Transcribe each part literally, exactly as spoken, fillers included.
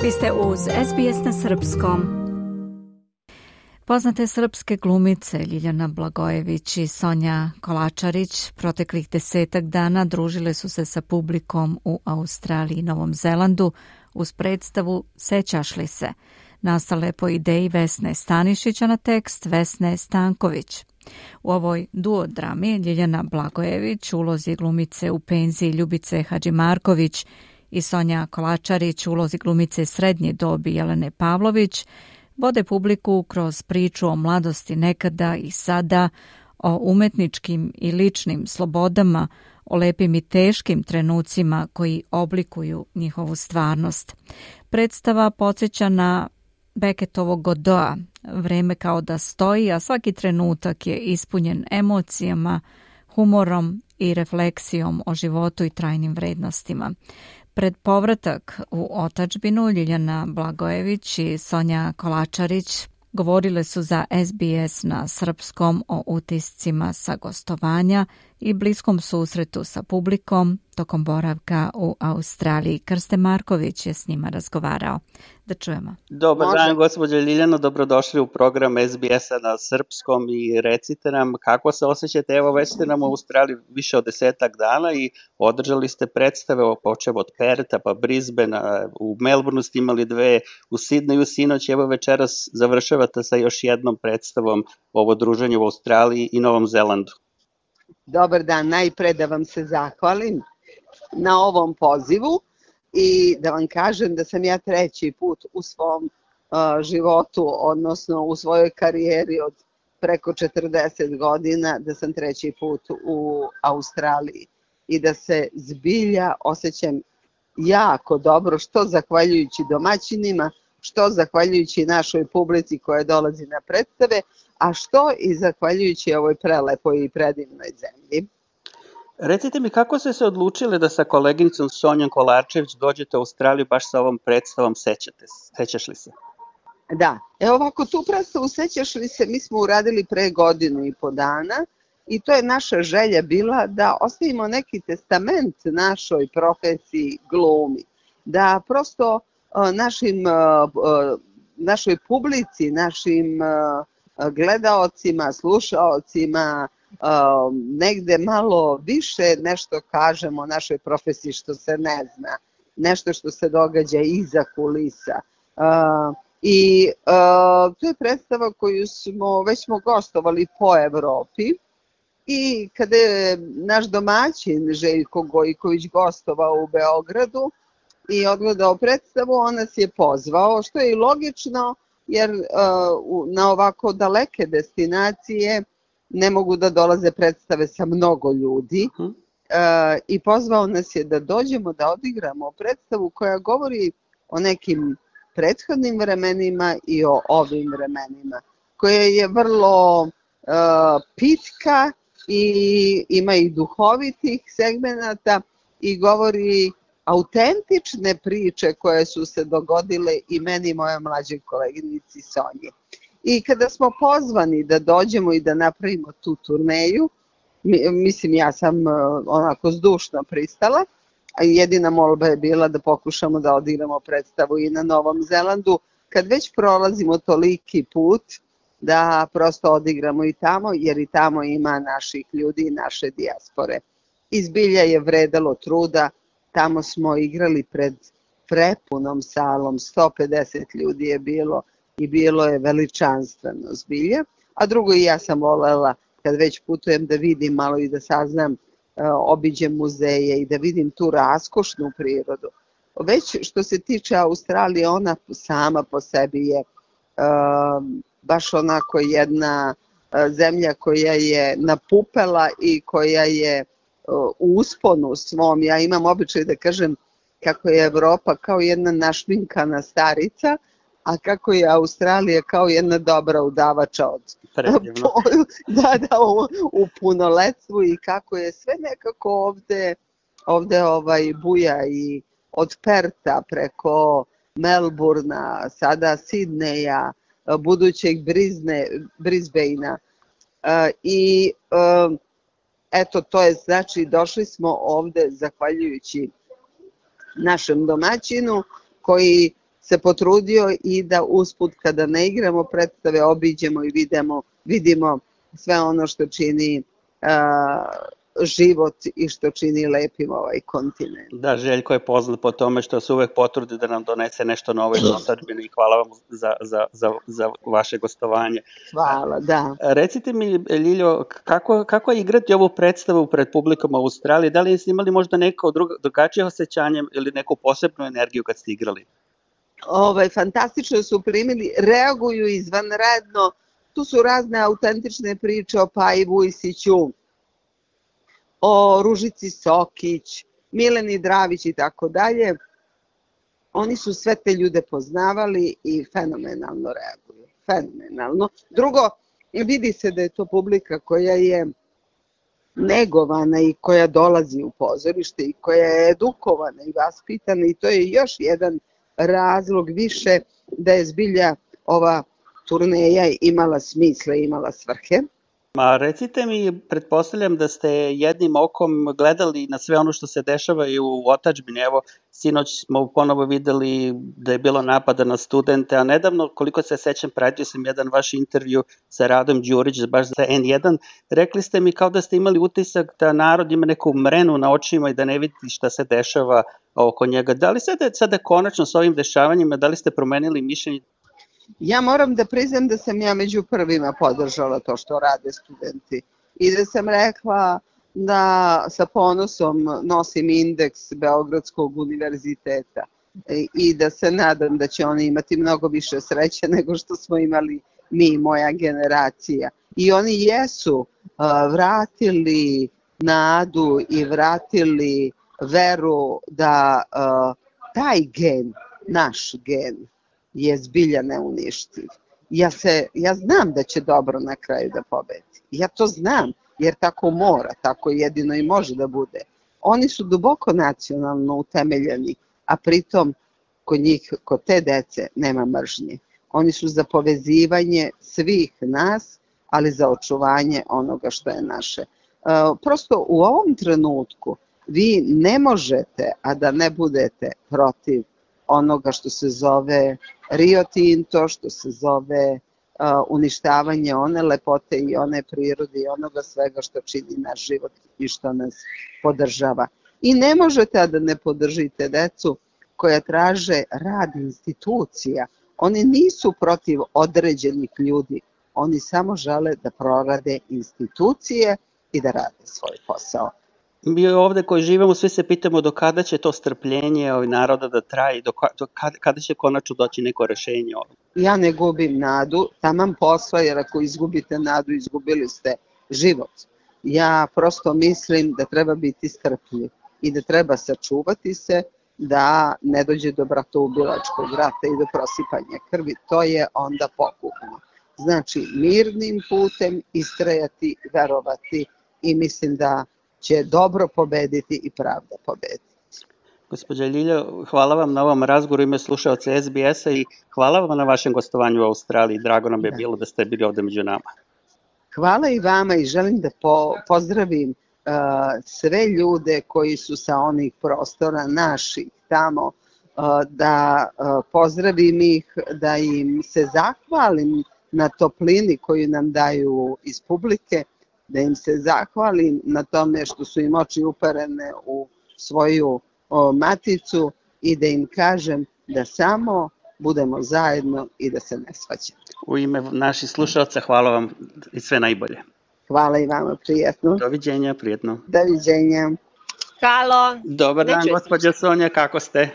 Vi ste uz S B S na srpskom. Poznate srpske glumice Ljiljana Blagojević i Sonja Kolačarić proteklih desetak dana družile su se sa publikom u Australiji i Novom Zelandu uz predstavu Sećaš li se, nastale po ideji Vesne Stanišića na tekst Vesne Stanković. U ovoj duodrami Ljiljana Blagojević u ulozi glumice u penziji Ljubice Hadžimarković i Sonja Kolačarić u ulozi glumice srednje dobi Jelene Pavlović vode publiku kroz priču o mladosti nekada i sada, o umetničkim i ličnim slobodama, o lepim i teškim trenucima koji oblikuju njihovu stvarnost. Predstava podsjeća na Beckettovog Godoa, vreme kao da stoji, a svaki trenutak je ispunjen emocijama, humorom i refleksijom o životu i trajnim vrednostima. Pred povratak u otadžbinu Ljiljana Blagojević i Sonja Kolačarić govorile su za S B S na srpskom o utiscima sa gostovanja i bliskom susretu sa publikom tokom boravka u Australiji. Krste Marković je s njima razgovarao. Da čujemo. Dobar dan, gospođo Ljiljano, dobrodošli u program S B S-a na srpskom i recite nam kako se osjećate. Evo, već ste nam u Australiji više od desetak dana i održali ste predstave počev od Perta pa Brisbanea, u Melbourneu ste imali dve, u Sidneju sinoć, evo večeras završavate sa još jednom predstavom ovo druženje u Australiji i Novom Zelandu. Dobar dan, najpre da vam se zahvalim na ovom pozivu i da vam kažem da sam ja treći put u svom uh, životu, odnosno u svojoj karijeri od preko četrdeset godina, da sam treći put u Australiji i da se zbilja osjećam jako dobro, što zahvaljujući domaćinima, što zahvaljujući našoj publici koja dolazi na predstave, a što i zahvaljujući ovoj prelepoj i predivnoj zemlji. Recite mi, kako ste se odlučile da sa koleginicom Sonjom Kolačević dođete u Australiju baš sa ovom predstavom Sećate, Sećaš li se? Da, evo ovako, tu predstavu Sećaš li se mi smo uradili pre godinu i po dana i to je naša želja bila da ostavimo neki testament našoj profesiji glumi, da prosto našim, našoj publici, našim gledaocima, slušaocima, negde malo više nešto kažemo o našoj profesiji što se ne zna, nešto što se događa iza kulisa. I to je predstava koju smo, već smo gostovali po Evropi i kada je naš domaćin Željko Gojković gostovao u Beogradu i odgledao predstavu, on nas je pozvao, što je i logično, jer uh, na ovako daleke destinacije ne mogu da dolaze predstave sa mnogo ljudi uh, i pozvao nas je da dođemo da odigramo predstavu koja govori o nekim prethodnim vremenima i o ovim vremenima, koja je vrlo uh, pitka i ima i duhovitih segmenata i govori autentične priče koje su se dogodile i meni i moja mlađoj koleginici Sonji. I kada smo pozvani da dođemo i da napravimo tu turneju, mislim ja sam onako zdušno pristala, a jedina molba je bila da pokušamo da odigramo predstavu i na Novom Zelandu, kad već prolazimo toliki put da prosto odigramo i tamo, jer i tamo ima naših ljudi i naše dijaspore. Izbilja je vredalo truda. Tamo smo igrali pred prepunom salom, sto pedeset ljudi je bilo i bilo je veličanstveno zbilja. A drugo i ja sam volela kad već putujem da vidim malo i da saznam, obiđem muzeje i da vidim tu raskošnu prirodu. Već što se tiče Australije, ona sama po sebi je uh, baš onako jedna uh, zemlja koja je napupela i koja je u usponu svom. Ja imam običaj da kažem kako je Evropa kao jedna našminkana starica, a kako je Australija kao jedna dobra udavača od da, da, u, u punoletstvu i kako je sve nekako ovde, ovde ovaj buja i od Perta preko Melbournea, sada Sidneja, budućeg Brisne, Brisbanea uh, i uh, eto, to je, znači, došli smo ovde zahvaljujući našem domaćinu koji se potrudio i da usput kada ne igramo predstave obiđemo i vidimo, vidimo sve ono što čini a, život i što čini lepim ovaj kontinent. Da, Željko je poznat po tome što se uvek potrudi da nam donese nešto novo iz otadžbine i hvala vam za, za, za, za vaše gostovanje. Hvala, da. Recite mi, Ljiljo, kako, kako je igrati ovu predstavu pred publikom u Australiji? Da li ste imali možda neko drugo, drugačije osjećanje ili neku posebnu energiju kad ste igrali? Ovaj, fantastično su primili, reaguju izvanredno. Tu su razne autentične priče o Paji Vujsiću, o Ružici Sokić, Mileni Dravić i tako dalje. Oni su sve te ljude poznavali i fenomenalno reaguju. Fenomenalno. Drugo, vidi se da je to publika koja je negovana i koja dolazi u pozorište i koja je edukovana i vaspitana i to je još jedan razlog više da je zbilja ova turneja imala smisla i imala svrhe. Ma recite mi, pretpostavljam da ste jednim okom gledali na sve ono što se dešava i u otadžbini. Evo, sinoć smo ponovo videli da je bilo napada na studente, a nedavno, koliko se sećam, pratio sam jedan vaš intervju sa Radom Đurić, baš za en jedan. Rekli ste mi kao da ste imali utisak da narod ima neku mrenu na očima i da ne vidi šta se dešava oko njega. Da li sada, sada konačno s ovim dešavanjima, da li ste promenili mišljenje? Ja moram da priznam da sam ja među prvima podržala to što rade studenti i da sam rekla da sa ponosom nosim indeks Beogradskog univerziteta i da se nadam da će oni imati mnogo više sreće nego što smo imali mi, moja generacija. I oni jesu uh, vratili nadu i vratili veru da uh, taj gen, naš gen, je zbilja neuništiv. Ja, se, ja znam da će dobro na kraju da pobedi. Ja to znam, jer tako mora, tako jedino i može da bude. Oni su duboko nacionalno utemeljeni, a pritom kod njih, kod te dece, nema mržnje. Oni su za povezivanje svih nas, ali za očuvanje onoga što je naše. E, prosto u ovom trenutku vi ne možete, a da ne budete protiv onoga što se zove Rio Tinto, što se zove uh, uništavanje one lepote i one prirode i onoga svega što čini naš život i što nas podržava. I ne možete a da ne podržite decu koja traže rad institucija. Oni nisu protiv određenih ljudi, oni samo žele da prorade institucije i da rade svoj posao. Mi ovde koji živimo svi se pitamo do kada će to strpljenje ovih naroda da traje, do, do kada, kada će konačno doći neko rešenje ovdje. Ja ne gubim nadu, taman posla, jer ako izgubite nadu, izgubili ste život. Ja prosto mislim da treba biti strpljiv i da treba sačuvati se da ne dođe do bratoubilačkog rata i do prosipanja krvi. To je onda pogubno. Znači, mirnim putem istrajati, verovati i mislim da će dobro pobediti i pravda pobediti. Gospođa Ljiljo, hvala vam na ovom razgovoru ime slušaoca es be es-a i hvala vam na vašem gostovanju u Australiji. Drago nam je da. bilo da ste bili ovde među nama. Hvala i vama i želim da po, pozdravim uh, sve ljude koji su sa onih prostora naših tamo, uh, da uh, pozdravim ih, da im se zahvalim na toplini koju nam daju iz publike, da im se zahvalim na tome što su im oči uperene u svoju o, maticu i da im kažem da samo budemo zajedno i da se ne svađamo. U ime naših slušalca hvala vam i sve najbolje. Hvala i vama, prijetno. Doviđenja, prijetno. Doviđenja. Halo. Dobar dan, gospođa Sonja, kako ste?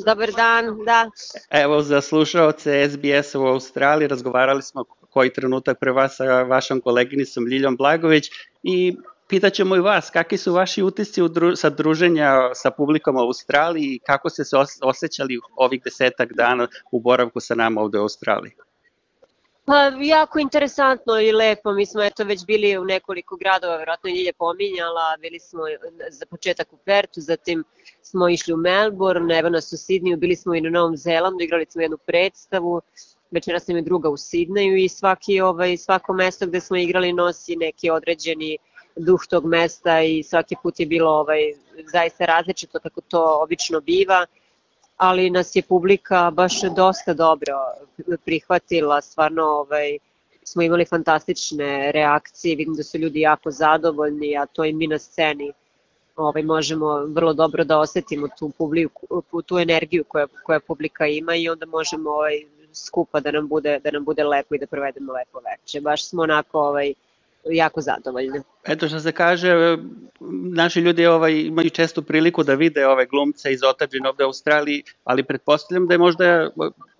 Dobar dan, da. Evo, za slušaoce es be es-a u Australiji razgovarali smo koji trenutak pre vas sa vašom koleginicom Ljiljom Blagović i pitaćemo i vas, kakvi su vaši utisci sa druženja sa publikom u Australiji i kako ste se osjećali ovih desetak dana u boravku sa nama ovde u Australiji? Pa, jako interesantno i lepo, mi smo eto već bili u nekoliko gradova, vjerojatno je Ljilja pominjala, bili smo za početak u Pertu, zatim smo išli u Melbourne, evo nas u Sidniju, bili smo i na Novom Zelandu, igrali smo jednu predstavu, večeras nam je druga u Sidneju i svaki, ovaj, svako mesto gde smo igrali nosi neki određeni duh tog mesta i svaki put je bilo ovaj, zaista različito kako to obično biva. ali nas je publika baš dosta dobro prihvatila, stvarno ovaj, smo imali fantastične reakcije, vidim da su ljudi jako zadovoljni, a to i mi na sceni ovaj, možemo vrlo dobro da osetimo tu, publiku, tu energiju koja, koja publika ima i onda možemo ovaj, skupa da nam, bude, da nam bude lepo i da provedemo lepo veče. Baš smo onako ovaj, jako zadovoljni. Eto što se kaže, naši ljudi ovaj, imaju često priliku da vide ove glumce iz otadžbine ovde u Australiji, ali pretpostavljam da je možda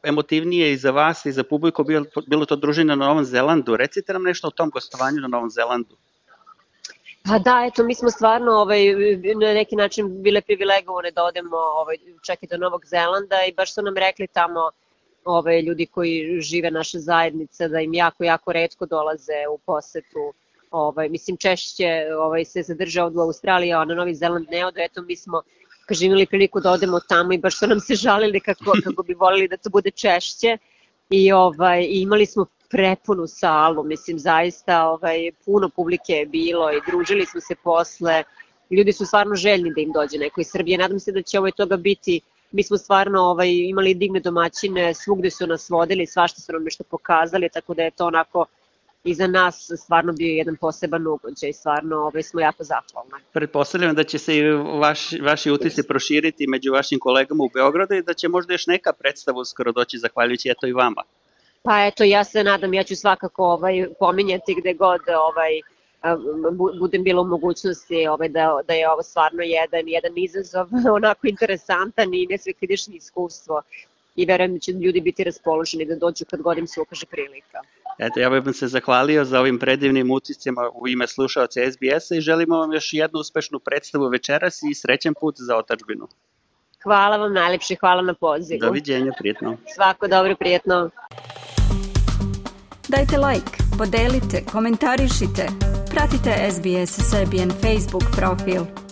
emotivnije i za vas i za publiku bilo, bilo to druženje na Novom Zelandu. Recite nam nešto o tom gostovanju na Novom Zelandu. Pa da, eto, mi smo stvarno ovaj, na neki način bile privilegovane da odemo ovaj, čak i do Novog Zelanda i baš su nam rekli tamo ove, ljudi koji žive naše zajednice, da im jako, jako retko dolaze u posetu. Ovaj, mislim, češće ovaj, se zadrže ovdje u Australiji, a na Novi Zeland ne odo. Eto, mi smo, kaže, imali priliku da odemo tamo i baš su nam se žalili kako, kako bi volili da to bude češće. I ovaj, imali smo prepunu salu, mislim, zaista ovaj, puno publike je bilo i družili smo se posle. Ljudi su stvarno željni da im dođe neko iz Srbije. Nadam se da će ovaj toga biti. Mi smo stvarno ovaj, imali divne domaćine, svugde su nas vodili, svašta su nam nešto pokazali, tako da je to onako i za nas stvarno bio jedan poseban ugođaj, stvarno ovaj, smo jako zahvalni. Pretpostavljam da će se i vaš, vaši utisci proširiti među vašim kolegama u Beogradu i da će možda još neka predstava uskoro doći zahvaljujući eto i vama. Pa eto, ja se nadam, ja ću svakako ovaj, pominjati gde god ovaj, budem bila u mogućnosti ovaj, da, da je ovo stvarno jedan, jedan izazov, onako interesantan i nesvekljidišnje iskustvo i verujem da će ljudi biti raspoloženi da dođu kad god im se ukaže prilika. Eto, ja bih vam se zahvalio za ovim predivnim utiscima u ime slušaoca S B S-a i želimo vam još jednu uspešnu predstavu večeras i srećan put za otadžbinu. Hvala vam najlepše, hvala na pozivu. Doviđenja, prijetno. Svako dobro, prijetno. Dajte like, podelite, komentarišite, pratite S B S Serbian Facebook profil.